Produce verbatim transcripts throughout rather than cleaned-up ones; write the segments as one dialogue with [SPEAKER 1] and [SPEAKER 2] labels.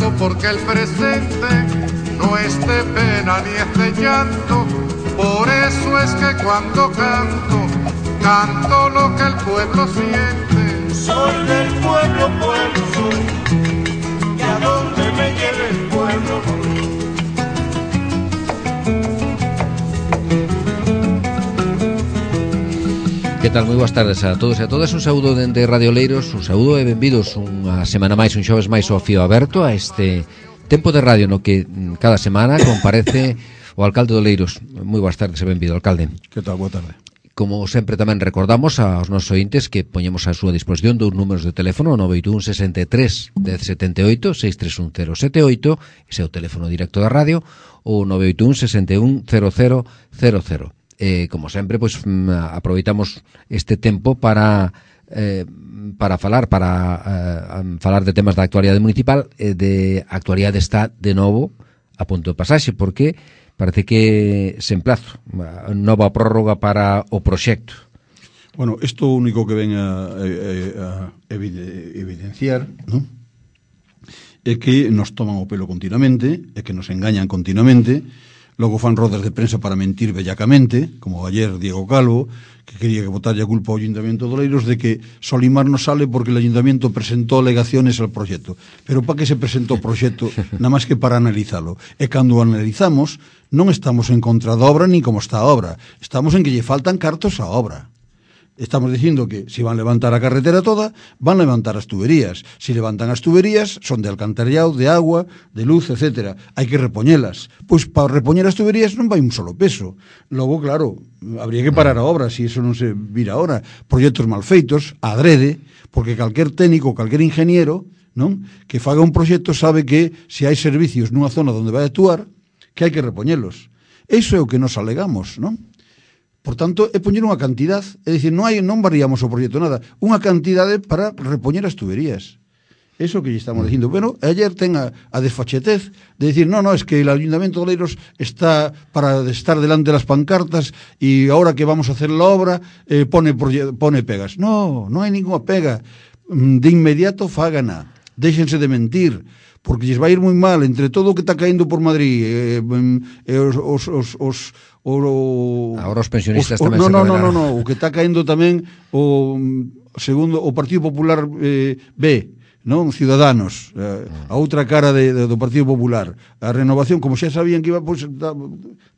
[SPEAKER 1] canto porque el presente no es de pena ni es de llanto. Por eso es que cuando canto, canto lo que el pueblo siente.
[SPEAKER 2] Soy del pueblo, pueblo soy, y a donde me lleve el pueblo voy.
[SPEAKER 3] Que tal? Moi boas tardes a todos e a todas. Un saúdo dende Radio Oleiros, un saúdo e benvidos unha semana máis, un xoves máis ao fío aberto a este tempo de radio no que cada semana comparece o alcalde de Oleiros. Moi boas tardes e benvido, alcalde.
[SPEAKER 4] Que tal? Boa tarde.
[SPEAKER 3] Como sempre tamén recordamos aos nosos ointes que poñemos a súa disposición dous números de teléfono, nove oito un, sesenta e tres, dez setenta e oito, seis tres un cero sete oito, ese é o teléfono directo da radio, ou nove oito un, sesenta e un, cero cero cero cero. Eh, como sempre, pois aproveitamos este tempo para eh, para falar para eh, falar de temas da actualidade municipal. Eh, de actualidade está de novo a punto de pasaxe, porque parece que se emplazo a nova prórroga para o proxecto.
[SPEAKER 4] Bueno, isto único que ven a, a, a evidenciar, ¿no?, é que nos toman o pelo continuamente, é que nos engañan continuamente. Logo fan rodas de prensa para mentir bellacamente, como ayer Diego Calvo, que quería que botarlle a culpa ao Ayuntamiento de Oleiros de que Solimar no sale porque el Ayuntamiento presentó alegaciones al proxecto. Pero para que se presentó o proxecto? Nada máis que para analizalo. E cando o analizamos, non estamos en contra da obra ni como está a obra. Estamos en que lle faltan cartos á obra. Estamos dicindo que se van levantar a carretera toda, van levantar as tuberías. Se levantan as tuberías, son de alcantarillado, de agua, de luz, etcétera. Hai que repoñelas. Pois para repoñer as tuberías non vai un solo peso. Logo, claro, habría que parar a obra, se iso non se vira ahora. Proxectos mal feitos, adrede, porque calquer técnico, calquer ingeniero, non, que faga un proxecto sabe que se hai servicios nunha zona onde vai actuar, que hai que repoñelos. Iso é o que nos alegamos, non? Por tanto, é poñer unha cantidad, é dicir, non hai, non variamos o proxecto nada, unha cantidade para repoñer as tuberías. Eso que lle estamos dicindo. Pero ayer ten a, a desfachetez de dicir, no, no, es que el Ayuntamiento de Oleiros está para estar delante de las pancartas e ahora que vamos a hacer la obra eh, pone, pone pegas. No, non hai ninguna pega. De inmediato fágana. Déxense de mentir, porque lles vai ir moi mal entre todo o que está caendo por Madrid, eh, eh, os, os, os, os O,
[SPEAKER 3] Ahora os pensionistas
[SPEAKER 4] os,
[SPEAKER 3] tamén
[SPEAKER 4] no,
[SPEAKER 3] se
[SPEAKER 4] no,
[SPEAKER 3] rebelaron.
[SPEAKER 4] no, no, no, o que está caendo tamén o segundo o Partido Popular eh, B, non, Ciudadanos, eh, a outra cara de, de, do Partido Popular, a renovación, como xa sabían que iba, pois, da,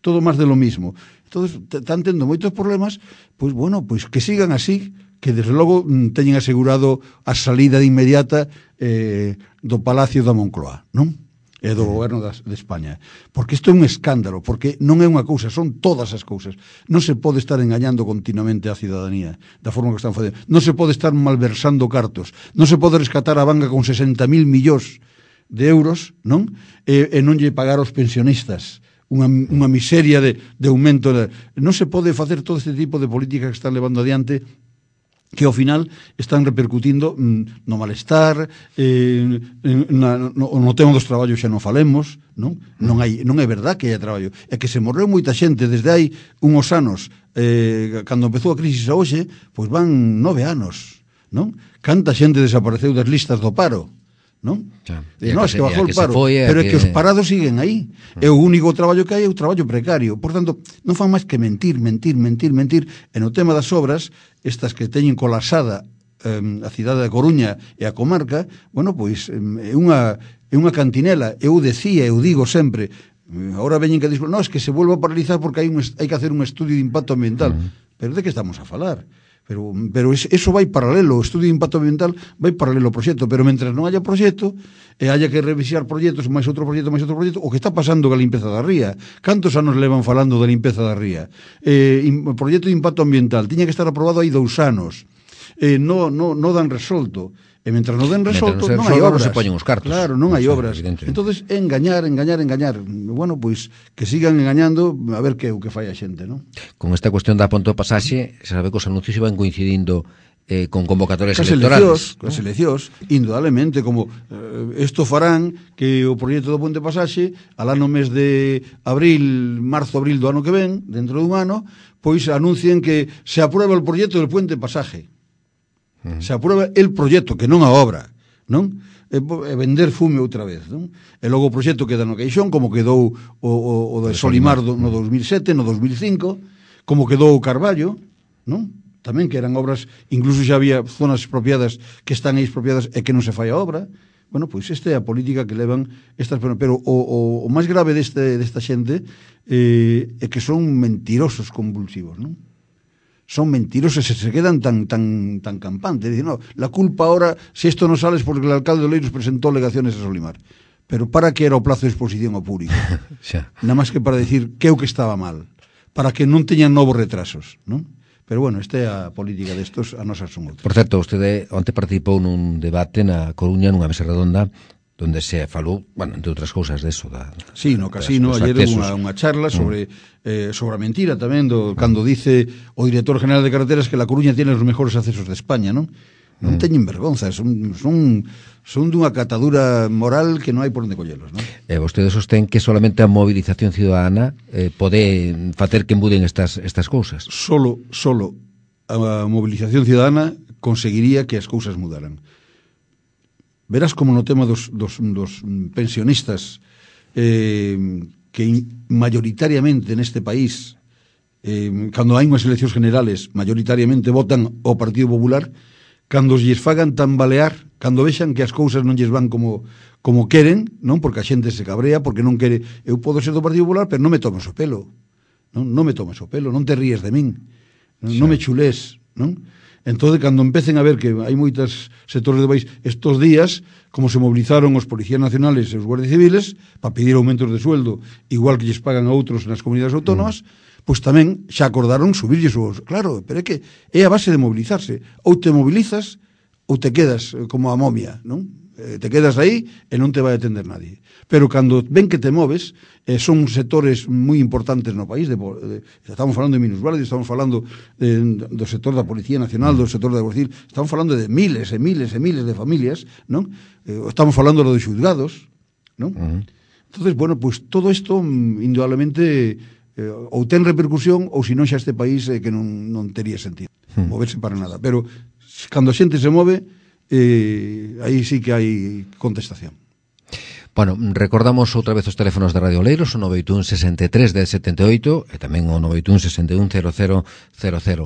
[SPEAKER 4] todo máis de lo mismo. Entonces, están tendo moitos problemas, pois bueno, pois que sigan así, que desde logo teñen asegurado a salida de inmediata eh, do Palacio da Moncloa, non? E do goberno de España. Porque isto é un escándalo, porque non é unha cousa, son todas as cousas. Non se pode estar engañando continuamente a cidadanía da forma que están facendo. Non se pode estar malversando cartos. Non se pode rescatar a banca con sesenta mil millóns de euros, non? E, e non lle pagar aos pensionistas unha, unha miseria de, de aumento. De... Non se pode facer todo este tipo de políticas que están levando adiante, que ao final están repercutindo mm, no malestar, eh, na, no, no tema dos traballos xa non falemos, non? Non, hai, non é verdad que haya traballo. É que se morreu moita xente desde hai uns anos, eh, cando empezou a crisis a hoxe, pois van nove anos, non? Canta xente desapareceu das listas do paro, non?
[SPEAKER 3] Xa.
[SPEAKER 4] E non, é que bajou o paro,
[SPEAKER 3] foi,
[SPEAKER 4] pero é
[SPEAKER 3] que...
[SPEAKER 4] que os parados siguen aí. Mm. É o único traballo que hai, é o traballo precario. Por tanto, non fan máis que mentir, mentir, mentir, mentir. E no tema das obras, estas que teñen colapsada eh, a cidade da Coruña e a comarca, bueno, pois é unha, é unha cantinela. Eu decía, eu digo sempre, agora veñen que dicen, no, es que se vuelve a paralizar porque hai, un, hai que hacer un estudio de impacto ambiental. Mm. Pero de que estamos a falar? Pero, pero eso vai paralelo, o estudio de impacto ambiental vai paralelo ao proxecto, pero mentras non haya proxecto e haya que revisar proxectos, máis outro proxecto, máis outro proxecto, o que está pasando ca limpeza da ría. Cantos anos levan falando da limpeza da ría? Eh, o proxecto de impacto ambiental tiña que estar aprobado hai dous anos. Eh, no, no, no dan resolto. E mentras non den resolto, non, non hai obras.
[SPEAKER 3] Non se poñen os cartos.
[SPEAKER 4] Claro, non hai
[SPEAKER 3] o sea,
[SPEAKER 4] obras. Entonces, engañar, engañar, engañar. Bueno, pois, que sigan engañando, a ver que o que fai a xente, non?
[SPEAKER 3] Con esta cuestión da punto de pasaxe, se sabe que os anuncios iban coincidindo eh, con convocatorias
[SPEAKER 4] Cas
[SPEAKER 3] electorales.
[SPEAKER 4] Cas eleccións, indudablemente, como eh, esto farán que o proxecto do Ponte Pasaxe, alá no mes de abril, marzo, abril do ano que ven, dentro dun ano, pois anuncien que se aprueba o proxecto del Puente Pasaje. Se aprueba el proxecto, que non a obra, non? e, e vender fume outra vez, non? E logo o proxecto queda no caixón, como quedou o, o, o de Solimar do, no dos mil sete, no dos mil cinco, como quedou o Carballo, non? Tamén que eran obras, incluso xa había zonas expropiadas que están aí expropiadas e que non se fai a obra. Bueno, pois esta é a política que levan estas, pero o, o, o máis grave deste, desta xente eh, é que son mentirosos convulsivos, non? Son mentirosos e se quedan tan tan tan campantes. Dicen, no, la culpa ahora, si esto no sale es porque el alcalde de Oleiros presentó alegaciones a Solimar. Pero para que era o plazo de exposición ao público? Nada máis que para decir que o que estaba mal, para que non teñan novos retrasos, non? Pero bueno, esta é a política destos, a nosas son outras.
[SPEAKER 3] Por certo, vostede onte participou nun debate na Coruña, nunha mesa redonda, donde se falou, bueno, entre outras cousas de eso, da,
[SPEAKER 4] sí, no casino, ayer unha, unha charla sobre mm. eh, sobre a mentira tamén, do, cando dice o director general de carreteras que la Coruña tiene os mejores accesos de España, non? Non mm. teñen vergonza, son, son, son dunha catadura moral que non hai por onde collelos, non?
[SPEAKER 3] E vostede sostén que solamente a movilización ciudadana eh, pode facer que embuden estas, estas cousas.
[SPEAKER 4] Solo, solo a movilización ciudadana conseguiría que as cousas mudaran. Verás como no tema dos, dos, dos pensionistas eh, que mayoritariamente neste país eh, cando hai unhas eleccións generales mayoritariamente votan ao Partido Popular, cando lles fagan tambalear, cando vexan que as cousas non lles van como, como queren, non, porque a xente se cabrea, porque non quere, eu podo ser do Partido Popular, pero non me tomes o pelo, non, non me tomes o pelo, non te ríes de min, non, non me chulés, non? Entón, cando empecen a ver que hai moitos sectores do país estos días, como se movilizaron os policías nacionales e os guardias civiles para pedir aumentos de sueldo, igual que lles pagan a outros nas comunidades autónomas, mm. pois tamén xa acordaron subirlles os... Claro, pero é que é a base de mobilizarse. Ou te mobilizas ou te quedas como a momia, non? Eh, te quedas aí e non te vai a atender nadie. Pero cando ven que te moves, eh, son sectores moi importantes no país, de, de, estamos falando de minusválidos, estamos falando de, do sector da Policía Nacional, do sector da Guardia Civil, estamos falando de miles e miles e miles de familias, non? Eh, estamos falando de xulgados, non? Uh -huh. Entonces, bueno, pues todo isto indudablemente eh, ou ten repercusión ou senón xa este país eh, que non, non tería sentido uh -huh. moverse para nada. Pero cando a xente se move, eh, aí sí que hai contestación.
[SPEAKER 3] Bueno, recordamos outra vez os teléfonos de Radio Oleiros, o nove oito un, sesenta e tres, dez setenta e oito e tamén o nove oito un, sesenta e un, cero cero cero cero.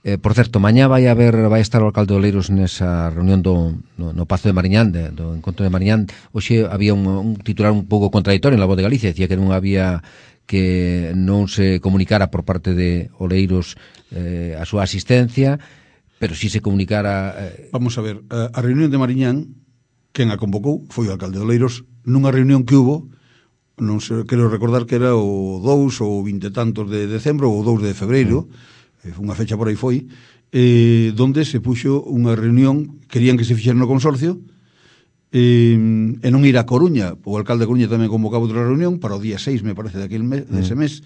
[SPEAKER 3] Eh, por certo, mañá vai haber vai estar o alcalde de Oleiros nesa reunión do no, no Pazo de Mariñán, de, do encontro de Mariñán. Hoxe había un, un titular un pouco contradictorio en La Voz de Galicia, decía que non había que non se comunicara por parte de Oleiros eh, a súa asistencia, pero si se comunicara... Eh...
[SPEAKER 4] Vamos a ver, a, a reunión de Mariñán, quen a convocou foi o alcalde de Oleiros, nunha reunión que hubo, non sei, quero recordar que era o dous ou vinte tantos de decembro ou dous de febreiro, mm. unha fecha por aí foi, eh, donde se puxo unha reunión, querían que se fixera no consorcio, eh, e non ir a Coruña, o alcalde de Coruña tamén convocaba outra reunión para o día seis, me parece, daquele mes, mm. dese mes,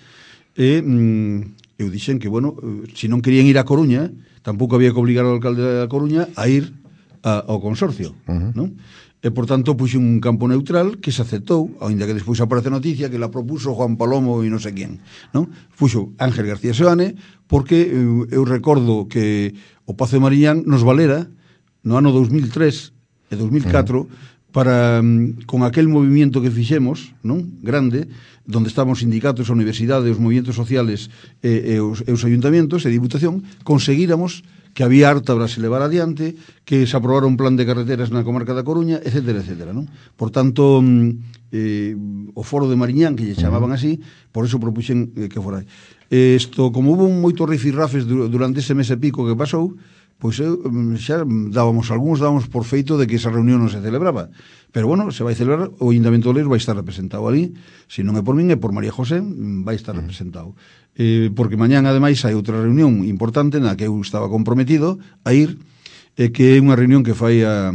[SPEAKER 4] e mm, eu dixen que, bueno, se non querían ir a Coruña, tampouco había que obligar ao alcalde da Coruña a ir a, ao consorcio, uh -huh. non? E, por tanto, puxe un campo neutral que se aceptou, ainda que despois aparece noticia que la propuso Juan Palomo e non sei quen, non? Puxo Ángel García Seoane, porque eu, eu recordo que o Pazo de Mariñán nos valera no ano dos mil tres e dos mil catro, uh-huh. para, con aquel movimento que fixemos, non? Grande, donde estaban os sindicatos, a universidade, os movimentos sociales e, e, os, e os ayuntamientos e a Diputación, conseguíramos que había harta para se levar adiante, que se aprobara un plan de carreteras na comarca da Coruña, etcétera, etcétera, non? Por tanto, eh, o foro de Mariñán, que lle chamaban así, por eso propuxen eh, que fora. Isto, como hubo moitos rifirrafes durante ese mes e pico que pasou, pois eu, xa dábamos, algúns dábamos por feito de que esa reunión non se celebraba. Pero bueno, se vai celebrar, o Ayuntamiento de Oleiros vai estar representado ali, se non é por min, é por María José, vai estar representado. Eh, porque mañán, ademais, hai outra reunión importante na que eu estaba comprometido a ir, eh, que é unha reunión que fai a,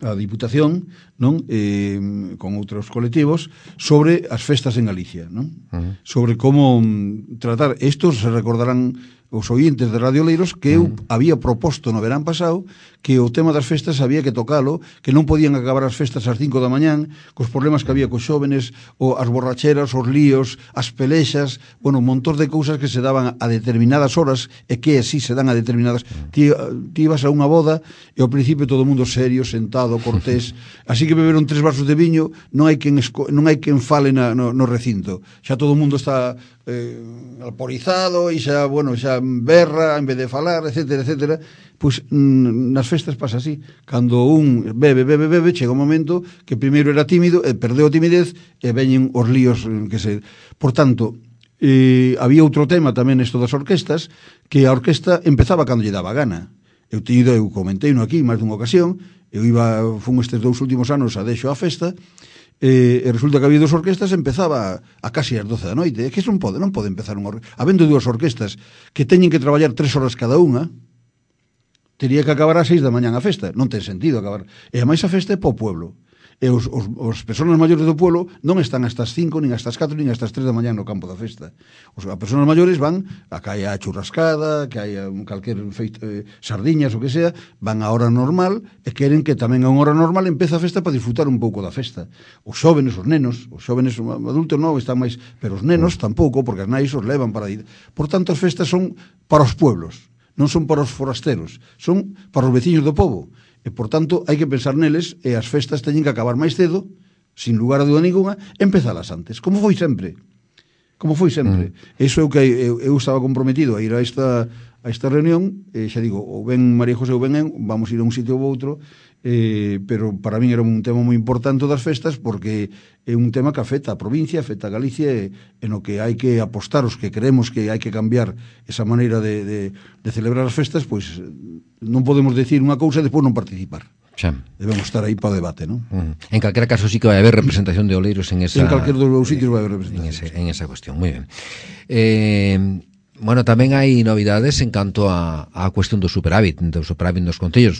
[SPEAKER 4] a Diputación non? Eh, con outros colectivos sobre as festas en Galicia, non? Uh-huh. Sobre como mm, tratar, estos se recordarán os ointes de Radio Oleiros que eu uh-huh. había proposto no verán pasado que o tema das festas había que tocalo, que non podían acabar as festas ás cinco da mañán, cos problemas que había cos xóvenes, o as borracheras, os líos, as pelexas, bueno, un montón de cousas que se daban a determinadas horas e que así se dan a determinadas. Ti, ti ibas a unha boda e ao principio todo o mundo serio, sentado, cortés, así que beberon tres vasos de viño, non hai quen, esco, non hai quen fale na, no, no recinto. Xa todo o mundo está eh, alporizado e xa, bueno, xa berra en vez de falar, etcétera, etcétera. Pois mm, nas festas pasa así. Cando un bebe, bebe, bebe, chega un momento que primeiro era tímido e perdeu a timidez e veñen os líos que se... Por tanto, eh, había outro tema tamén isto das orquestas, que a orquesta empezaba cando lle daba gana. Eu tido, eu comentei no aquí máis dunha ocasión, eu iba, fun estes dous últimos anos a deixo a festa, e, e resulta que había dos orquestas, empezaba a, a casi as doce da noite. É que non pode, non pode empezar unha orquesta. Habendo dúas orquestas que teñen que traballar tres horas cada unha, tería que acabar ás seis da mañán a festa. Non ten sentido acabar. E a máis a festa é po pueblo. E os, os, os persoas maiores do pueblo non están hasta as cinco, nin hasta as catro, nin hasta as tres da mañán no campo da festa. Os as persoas maiores van a que haya churrascada, que haya calquer feito, eh, sardiñas o que sea, van a hora normal e queren que tamén a unha hora normal empeza a festa para disfrutar un pouco da festa. Os xóvenes, os nenos, os xóvenes adultos non están máis, pero os nenos tampouco, porque as nais os levan para ir. Por tanto, as festas son para os pueblos, non son para os forasteros, son para os veciños do pobo. E, por tanto, hai que pensar neles e as festas teñen que acabar máis cedo, sin lugar a dúda ninguna, empezalas antes, como foi sempre. Como foi sempre. Mm. Eso é o que eu, eu estaba comprometido a ir a esta, a esta reunión, e xa digo, ou ben María José ou ben eu, vamos ir a un sitio ou outro, eh, pero para min era un tema moi importante das festas, porque é un tema que afecta a provincia, afecta a Galicia, e, e no que hai que apostar os que creemos que hai que cambiar esa maneira de, de, de celebrar as festas, pois non podemos decir unha cousa e despois non participar.
[SPEAKER 3] Xa.
[SPEAKER 4] Debemos estar aí para o debate, non?
[SPEAKER 3] Mm. En calquera caso sí que vai haber representación de Oleiros en esa...
[SPEAKER 4] En calquer dos sitios vai haber representación.
[SPEAKER 3] En, ese, en esa cuestión, moi ben. Eh... Bueno, tamén hai novidades en canto a, a cuestión do superávit, do superávit dos concellos.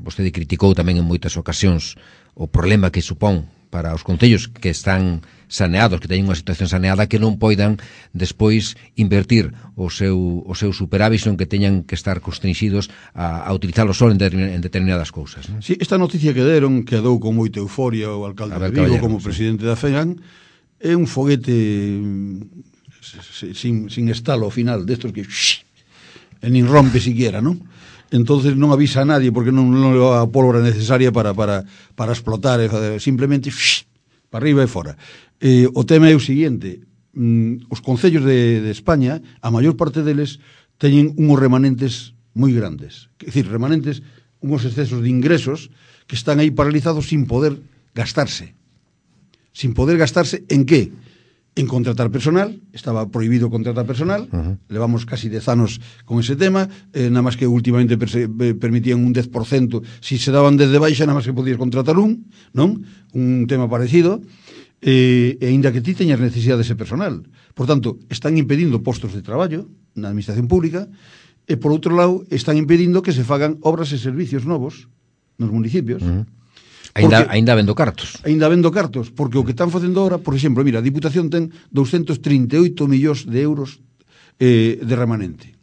[SPEAKER 3] Vostede criticou tamén en moitas ocasións o problema que supón para os concellos que están saneados, que teñen unha situación saneada, que non poidan despois invertir o seu, o seu superávit, senón que teñan que estar constringidos a, a utilizarlo só en, en determinadas cousas, non?
[SPEAKER 4] Sí, esta noticia que deron, que dou con moita euforia o alcalde de Vigo como presidente da FEGAN, é un foguete sin, sin estalo ao final, destos que shh, e nin rompe siquiera, non? Entonces non avisa a nadie porque non, non leva a pólvora necesaria para, para, para explotar, simplemente shh, para arriba e fora. Eh, o tema é o seguinte, mm, os concellos de, de España, a maior parte deles teñen unhos remanentes moi grandes, é dicir, remanentes, unhos excesos de ingresos que están aí paralizados sin poder gastarse. Sin poder gastarse en qué? En contratar personal, estaba prohibido contratar personal, uh-huh. Levamos casi dez anos con ese tema, eh, nada máis que últimamente perse, eh, permitían un dez por cento, si se daban desde baixa, nada máis que podías contratar un, non? Un tema parecido, eh, e ainda que ti teñas necesidade dese personal. Por tanto, están impedindo postos de traballo na administración pública, e por outro lado, están impedindo que se fagan obras e servicios novos nos municipios. Uh-huh.
[SPEAKER 3] Ainda, ainda vendo cartos.
[SPEAKER 4] Ainda vendo cartos, porque o que están facendo ahora, por exemplo, mira, a Diputación ten doscientos trinta e oito millóns de euros eh, de remanente.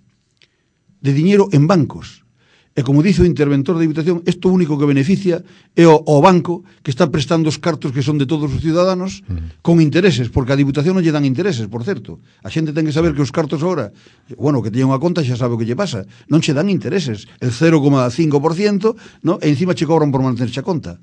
[SPEAKER 4] De diñeiro en bancos. E como dice o interventor da Diputación, isto único que beneficia é o, o banco que está prestando os cartos que son de todos os ciudadanos mm. con intereses, porque a Diputación non lle dan intereses, por certo. A xente ten que saber que os cartos ahora, bueno, que teña unha conta xa sabe o que lle pasa, non che dan intereses, el cero coma cinco por ciento, no? E encima che cobran por mantenerche a conta.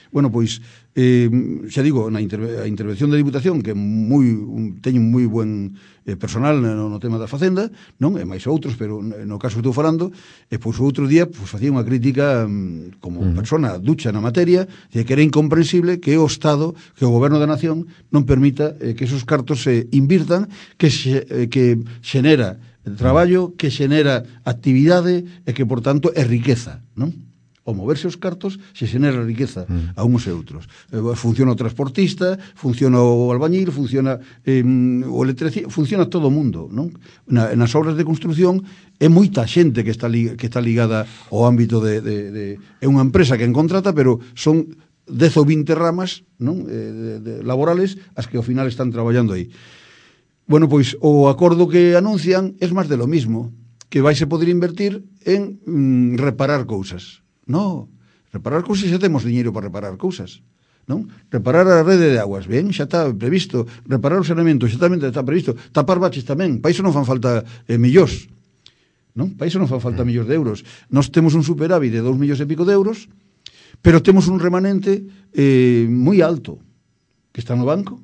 [SPEAKER 4] Bueno, pois, eh, xa digo, na interve- a intervención da Diputación, que moi, un, teñen moi buen eh, personal no, no tema da Facenda, non? E máis outros, pero no caso que estou falando, e pois o outro día pois, facía unha crítica um, como uh-huh. persona ducha na materia, de que era incomprensible que o Estado, que o Goberno da Nación non permita eh, que esos cartos se invirtan, que, xe, eh, que xenera traballo, que xenera actividade e que, por tanto, é riqueza, non? Ao moverse os cartos se xenera riqueza mm. a uns e outros. Eh, funciona o transportista, funciona o albañil, funciona eh, o electricista, funciona todo o mundo, non? Na, nas obras de construción é moita xente que está, li, que está ligada ao ámbito de, de, de... É unha empresa que en contrata, pero son dez ou vinte ramas, non? Eh, de, de, laborales as que ao final están traballando aí. Bueno, pois o acordo que anuncian é máis de lo mismo, que vais a poder invertir en mm, reparar cousas. No, reparar cousas xa temos diñeiro para reparar cousas. Non? Reparar a rede de aguas, ben, xa está previsto. Reparar o saneamento, xa tamén está previsto. Tapar baches tamén, para iso non fan falta eh, millóns. Non? Para iso non fan falta millóns de euros. Nós temos un superávit de dous millóns e pico de euros, pero temos un remanente eh, moi alto, que está no banco,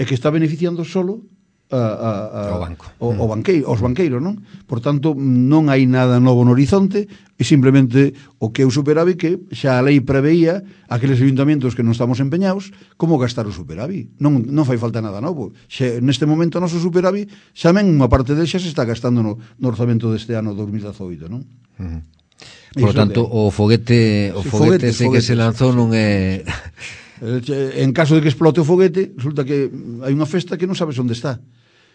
[SPEAKER 4] e que está beneficiando solo a, a, a,
[SPEAKER 3] o banco.
[SPEAKER 4] O, o banqueiro, os banqueiros, non? Por tanto, non hai nada novo no horizonte, e simplemente o que é o superávit que xa a lei preveía aqueles ayuntamentos que non estamos empeñados como gastar o superávit. Non, non fai falta nada novo. Xe, neste momento o noso superávit xa men unha parte del xa se está gastando no, no orzamento deste ano dos mil dezoito, non?
[SPEAKER 3] Uh -huh. Por lo tanto, o foguete o
[SPEAKER 4] sí,
[SPEAKER 3] foguete,
[SPEAKER 4] foguete
[SPEAKER 3] ese foguete, que se lanzou non é...
[SPEAKER 4] En caso de que explote o foguete, resulta que hai unha festa que non sabes onde está.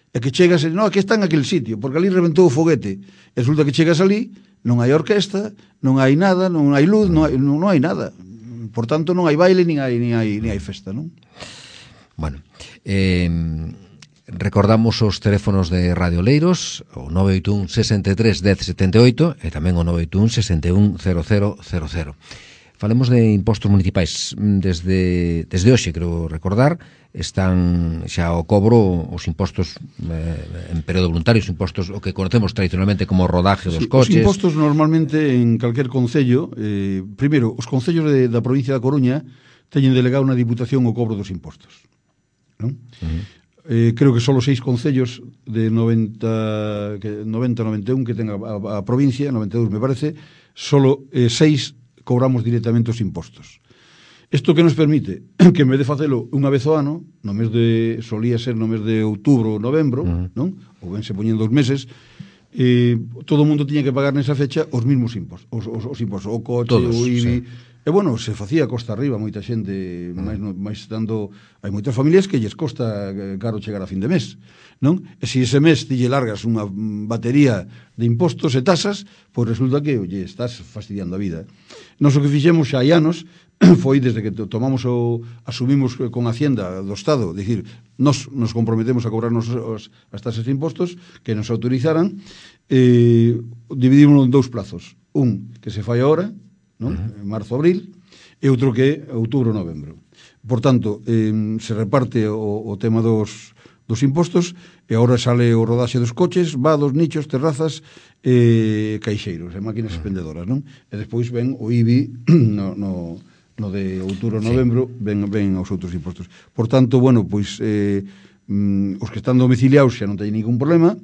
[SPEAKER 4] E que chegas, no, aquí está en aquel sitio, porque ali reventou o foguete. E resulta que chegas ali, non hai orquesta, non hai nada, non hai luz, non hai, non, non hai nada. Por tanto, non hai baile, nin hai, nin hai, nin hai festa, non?
[SPEAKER 3] Bueno, eh, recordamos os teléfonos de Radio Oleiros, o nove oito un, sesenta e tres, dez, setenta e oito, e tamén o nove oito un, sesenta e un, cero cero cero cero. Falemos de impostos municipais. Desde, desde hoxe, creo recordar, están xa ao cobro os impostos eh, en período voluntario, os impostos o que conocemos tradicionalmente como rodaje dos
[SPEAKER 4] sí,
[SPEAKER 3] coches.
[SPEAKER 4] Os impostos normalmente en calquer concello, eh, primeiro, os concellos de, da provincia da Coruña teñen delegado na Diputación o cobro dos impostos, non? Uh -huh. eh, creo que só os seis concellos de noventa, que, noventa, noventa e un que ten a, a, a provincia, noventa e dous me parece, solo eh, seis cobramos directamente os impostos. Isto que nos permite que en vez de facelo unha vez ao ano, no mes de, solía ser no mes de outubro ou novembro, uh -huh. non? Ou ben se poñen dos meses, eh, todo o mundo tiña que pagar nesa fecha os mismos impostos, os, os, os impostos, o coche,
[SPEAKER 3] todos,
[SPEAKER 4] o I B I,
[SPEAKER 3] sí.
[SPEAKER 4] E bueno, se facía costa arriba, moita xente, uh -huh. máis, máis dando, hai moitas familias que lles costa caro chegar a fin de mes, non? E se ese mes ti lle largas unha batería de impostos e tasas, pois resulta que, oye, estás fastidiando a vida. Nos o que fixemos xa hai anos foi desde que tomamos o asumimos con Hacienda do Estado, dicir, nos nos comprometemos a cobrarnos os, as tasas de impostos que nos autorizaran, eh, dividímoslo en dous plazos, un que se fai agora, non? Uh -huh. Marzo, abril, e outro que é outubro, novembro. Por tanto, eh, se reparte o, o tema dos dos impostos, e agora sale o rodaxe dos coches, vados, nichos, terrazas, e caixeiros, e máquinas expendedoras, non? E despois ven o I B I no, no, no de outubro, novembro, sí. ven, ven os outros impostos. Por tanto, bueno, pois eh, mm, os que están domiciliados xa non teñen ningún problema,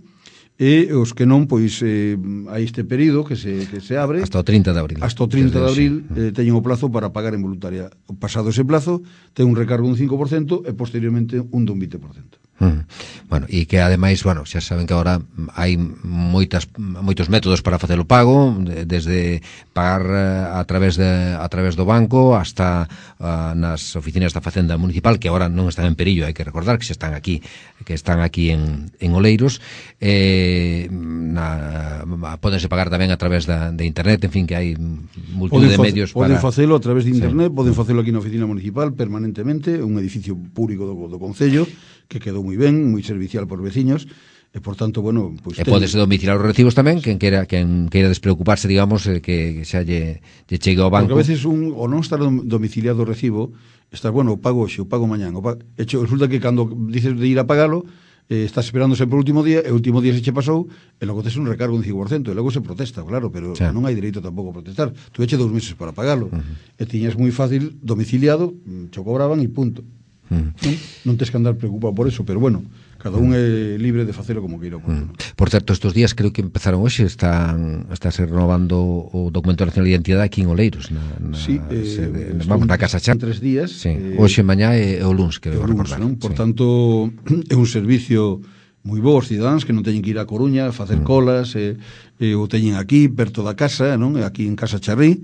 [SPEAKER 4] e os que non, pois eh, hai este período que se, que se abre
[SPEAKER 3] hasta o trinta de abril
[SPEAKER 4] hasta o trinta de abril eh, teñen o plazo para pagar en voluntaria. Pasado ese plazo ten un recargo dun cinco por cento e posteriormente un dun vinte por cento.
[SPEAKER 3] Hmm. Bueno, e que ademais, bueno, xa saben que agora hai moitas moitos métodos para facer o pago, desde pagar a través de a través do banco hasta uh, nas oficinas da Facenda Municipal, que agora non están en perillo, hai que recordar que xa están aquí, que están aquí en en Oleiros. Eh, na, pódense pagar tamén a través da, de internet, en fin, que hai multitud de medios
[SPEAKER 4] poden
[SPEAKER 3] para...
[SPEAKER 4] Poden facelo a través de internet, sí. Poden
[SPEAKER 3] Uh-huh.
[SPEAKER 4] facelo aquí na oficina municipal permanentemente, un edificio público do, do Concello, que quedou moi ben, moi servicial por veciños, e por tanto, bueno, pois
[SPEAKER 3] e podes domiciliar os recibos tamén, quen queira quen queira despreocuparse, digamos, eh, que xa lle, lle chegue ao banco.
[SPEAKER 4] Porque a veces un, o non estar domiciliado o recibo, estás, bueno, o pago hoxe, o pago mañán, o pago... Hecho, resulta que cando dices de ir a pagalo, eh, estás esperando sempre o último día, e o último día se che pasou, e logo tes un recargo un cinco por cento, e logo se protesta, claro, pero sí. Non hai dereito tampouco a protestar. Tu eche dous meses para pagalo, uh -huh. e tiñas moi fácil domiciliado, cho cobraban e punto. Uh -huh. non, non tes que andar preocupado por eso, pero bueno, cada un é libre de facelo como queira.
[SPEAKER 3] Mm. Por certo, estes días creo que empezaron hoxe, están está se renovando o documento nacional de identidade aquí en Oleiros, na, na,
[SPEAKER 4] sí, eh,
[SPEAKER 3] se, de, vamos na Casa Chá.
[SPEAKER 4] Tres días.
[SPEAKER 3] Sí,
[SPEAKER 4] eh,
[SPEAKER 3] hoxe, mañá e o luns, creo recordar.
[SPEAKER 4] Non? Por
[SPEAKER 3] sí.
[SPEAKER 4] tanto, é un servicio moi bo aos cidadáns que non teñen que ir a Coruña a facer mm. colas, e, e o teñen aquí, perto da casa, non? Aquí en Casa Charrí.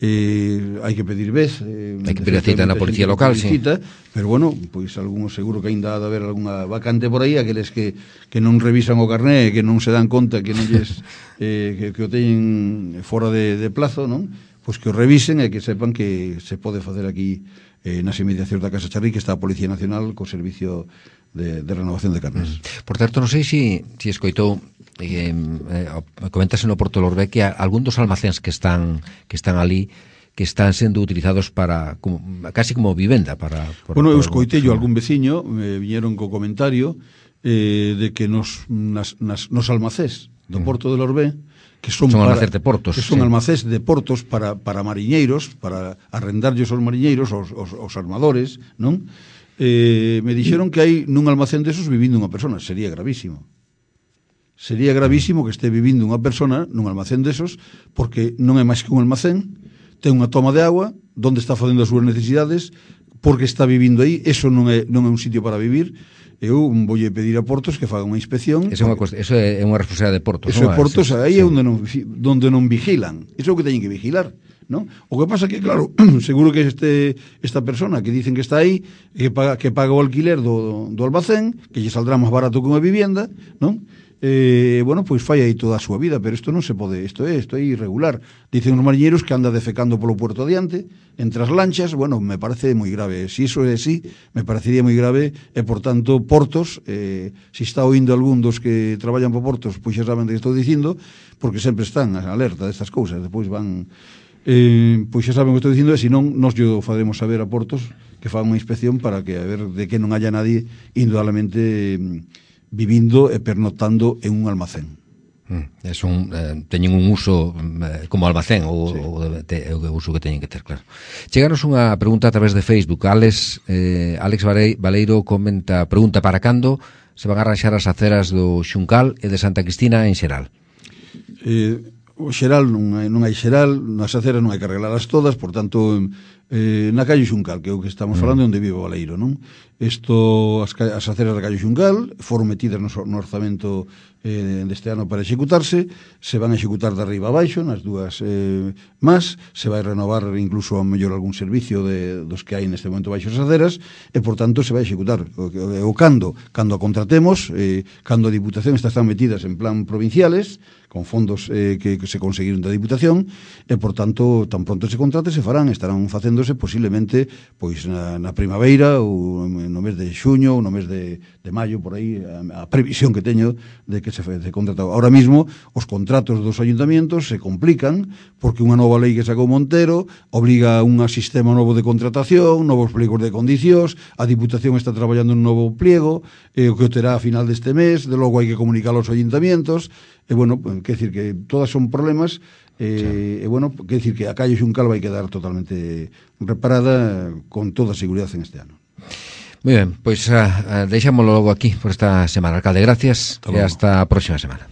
[SPEAKER 4] Eh, hai que pedir vez eh,
[SPEAKER 3] hai que pedir cita na policía local, sí.
[SPEAKER 4] Cita, pero bueno, pois algún seguro que ainda ha de haber algunha vacante por aí, aqueles que, que non revisan o carné, que non se dan conta que non lles eh, que, que o teñen fora de, de plazo, non? pois que o revisen e que sepan que se pode facer aquí eh, nas inmediacións da Casa Charri, que está a Policía Nacional co servicio de, de renovación de carnes.
[SPEAKER 3] Mm. Por certo, non sei se si, si escoitou eh, eh, comentase no Porto Lorbé que algún dos almacéns que están que están ali que están sendo utilizados para como, casi como vivenda para, para
[SPEAKER 4] bueno, eu escoitei yo algún veciño me viñeron co comentario eh, de que nos, nas, nas, nos almacés do Porto de Lorbé que son,
[SPEAKER 3] son
[SPEAKER 4] para,
[SPEAKER 3] almacés de portos,
[SPEAKER 4] que son
[SPEAKER 3] sí.
[SPEAKER 4] almacés de portos para, para mariñeiros, para arrendarlles aos mariñeiros, aos, aos, aos armadores, non? Eh, me dixeron que hai nun almacén desos vivindo unha persona, sería gravísimo. Sería gravísimo que este vivindo unha persona nun almacén desos, porque non é máis que un almacén, ten unha toma de agua, onde está facendo as súas necesidades, porque está vivindo aí, eso non é, non é un sitio para vivir. Eu voulle pedir a Portos que faga unha inspección.
[SPEAKER 3] Eso é unha, eso é unha responsabilidade de Portos,
[SPEAKER 4] Eso
[SPEAKER 3] non?
[SPEAKER 4] é Portos,
[SPEAKER 3] sí,
[SPEAKER 4] aí
[SPEAKER 3] sí.
[SPEAKER 4] é onde non, onde non vigilan. Iso é o que teñen que vigilar, non? O que pasa que, claro, seguro que este esta persona que dicen que está aí, que paga, que paga o alquiler do, do almacén, que lle saldrá máis barato que unha vivienda, non? Eh, bueno, pois fai aí toda a súa vida, pero isto non se pode, isto é, isto é irregular. Dicen os mariñeiros que anda defecando polo puerto adiante, entre as lanchas, bueno, me parece moi grave. Se iso é así, me parecería moi grave, e, por tanto, Portos, eh, se está oindo algún dos que traballan por Portos, pois xa saben que estou dicindo, porque sempre están a alerta destas cousas, depois van... Eh, pois xa saben o que estou dicindo, e se non, nos yo faremos saber a Portos que fan unha inspección para que a ver de que non haya nadie indudablemente vivindo e pernotando en un almacén.
[SPEAKER 3] Mm, es un, eh, teñen un uso eh, como almacén ou,
[SPEAKER 4] sí.
[SPEAKER 3] ou de, de, o uso que teñen que ter, claro. Cheganos unha pregunta a través de Facebook. Alex, eh, Alex Valeiro comenta, pregunta para cando se van a arranxar as aceras do Xuncal e de Santa Cristina en xeral.
[SPEAKER 4] Eh, o xeral non hai, non hai xeral, nas aceras non hai que arreglalas todas, por tanto, eh, na calle Xuncal, que é o que estamos falando, mm. onde vive o Valeiro, non? Isto, as, as aceras da calle Xuncal foron metidas no, no orzamento eh, deste ano para executarse, se van a executar de arriba a baixo, nas dúas eh, más, se vai renovar incluso a mellor algún servicio de, dos que hai neste momento baixo as aceras, e por tanto se vai executar. O, o, o cando, cando a contratemos, eh, cando a Diputación está, están metidas en plan provinciales, con fondos eh, que, que se conseguiron da Diputación, e por tanto, tan pronto se contrate, se farán, estarán facéndose posiblemente pois na, na primavera ou no mes de xuño ou no mes de, de maio, por aí, a, a previsión que teño de que se, se contrata. Ahora mismo, os contratos dos ayuntamientos se complican porque unha nova lei que sacou Montero obliga a un sistema novo de contratación, novos pliegos de condicións, a Diputación está traballando un novo pliego, eh, o que o terá a final deste mes, de logo hai que comunicar aos ayuntamientos, e bueno, quer decir que todas son problemas, eh, sí. e bueno, quer decir que a calle Xuncal vai quedar totalmente reparada con toda a seguridade en este ano.
[SPEAKER 3] Muy ben, pois pues, uh, deixámoslo logo aquí por esta semana. Alcalde, gracias, e hasta a próxima semana.